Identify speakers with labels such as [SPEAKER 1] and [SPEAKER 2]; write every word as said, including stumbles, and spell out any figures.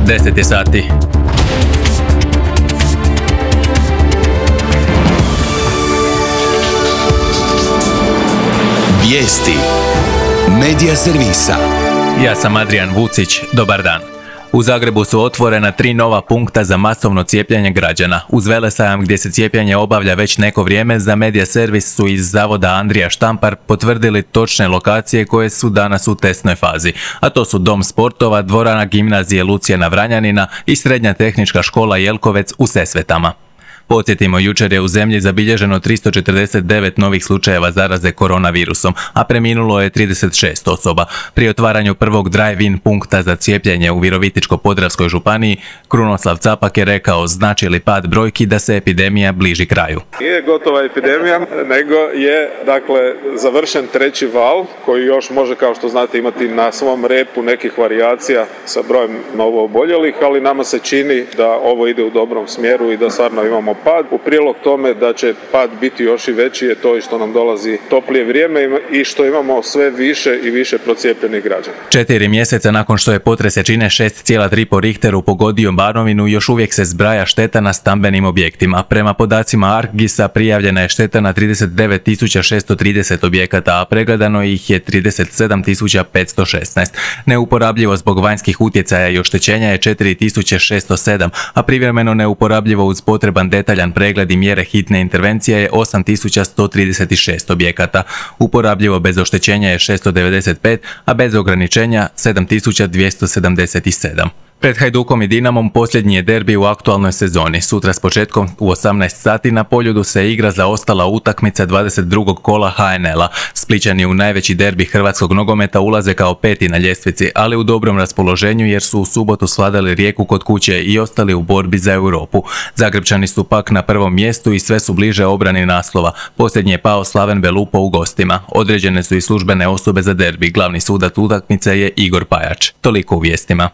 [SPEAKER 1] deset je sati.
[SPEAKER 2] Vijesti Medija servisa.
[SPEAKER 1] Ja sam Adrian Vucić, dobar dan. U Zagrebu su otvorena tri nova punkta za masovno cijepljenje građana. Uz velesajam gdje se cijepljenje obavlja već neko vrijeme, za Medija servis su iz Zavoda Andrija Štampar potvrdili točne lokacije koje su danas u testnoj fazi. A to su Dom sportova, dvorana gimnazije Lucijana Vranjanina i Srednja tehnička škola Jelkovec u Sesvetama. Podsjetimo, jučer je u zemlji zabilježeno tristo četrdeset devet novih slučajeva zaraze koronavirusom, a preminulo je trideset šest osoba. Pri otvaranju prvog drive-in punkta za cijepljenje u Virovitičko-podravskoj županiji, Krunoslav Capak je rekao znači li pad brojki da se epidemija bliži kraju.
[SPEAKER 3] Nije gotova epidemija, nego je dakle završen treći val koji još može, kao što znate, imati na svom repu nekih varijacija sa brojem novooboljelih, ali nama se čini da ovo ide u dobrom smjeru i da stvarno imamo pad. U prilog tome da će pad biti još i veći je to i što nam dolazi toplije vrijeme i što imamo sve više i više procijepljenih građana.
[SPEAKER 1] Četiri mjeseca nakon što je potres jačine šest zarez tri po Richteru pogodio Banovinu, još uvijek se zbraja šteta na stambenim objektima. Prema podacima Arcgisa prijavljena je šteta na trideset devet tisuća šesto trideset objekata, a pregledano ih je trideset sedam tisuća petsto šesnaest. Neuporabljivo zbog vanjskih utjecaja i oštećenja je četiri tisuće šesto sedam, a privremeno neuporabljivo uz potreban detaljan pregled i mjere hitne intervencije je osam tisuća sto trideset šest objekata. Uporabljivo bez oštećenja je šesto devedeset pet, a bez ograničenja sedam tisuća dvjesto sedamdeset sedam. Pred Hajdukom i Dinamom posljednji je derbi u aktualnoj sezoni. Sutra s početkom u osamnaest sati na Poljudu se igra zaostala utakmica dvadeset drugog kola ha en el a. Splićani u najveći derbi hrvatskog nogometa ulaze kao peti na ljestvici, ali u dobrom raspoloženju jer su u subotu svladali Rijeku kod kuće i ostali u borbi za Europu. Zagrebčani su pak na prvom mjestu i sve su bliže obrani naslova. Posljednji je pao Slaven Belupo u gostima. Određene su i službene osobe za derbi. Glavni sudac utakmice je Igor Pajač. Toliko u vijestima.